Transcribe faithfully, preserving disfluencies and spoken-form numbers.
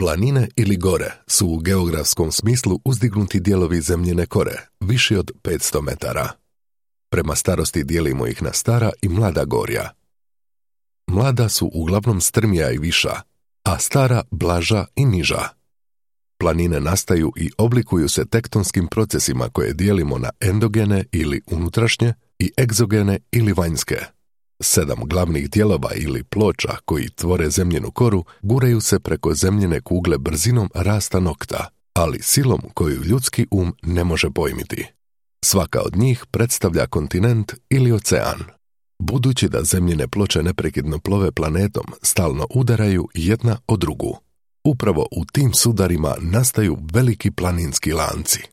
Planine ili gore su u geografskom smislu uzdignuti dijelovi zemljine kore, viši od petsto metara. Prema starosti dijelimo ih na stara i mlada gorja. Mlada su uglavnom strmija i viša, a stara blaža i niža. Planine nastaju i oblikuju se tektonskim procesima koje dijelimo na endogene ili unutrašnje i egzogene ili vanjske. Sedam glavnih dijelova ili ploča koji tvore zemljinu koru guraju se preko zemljine kugle brzinom rasta nokta, ali silom koju ljudski um ne može pojmiti. Svaka od njih predstavlja kontinent ili ocean. Budući da zemljine ploče neprekidno plove planetom, stalno udaraju jedna o drugu. Upravo u tim sudarima nastaju veliki planinski lanci.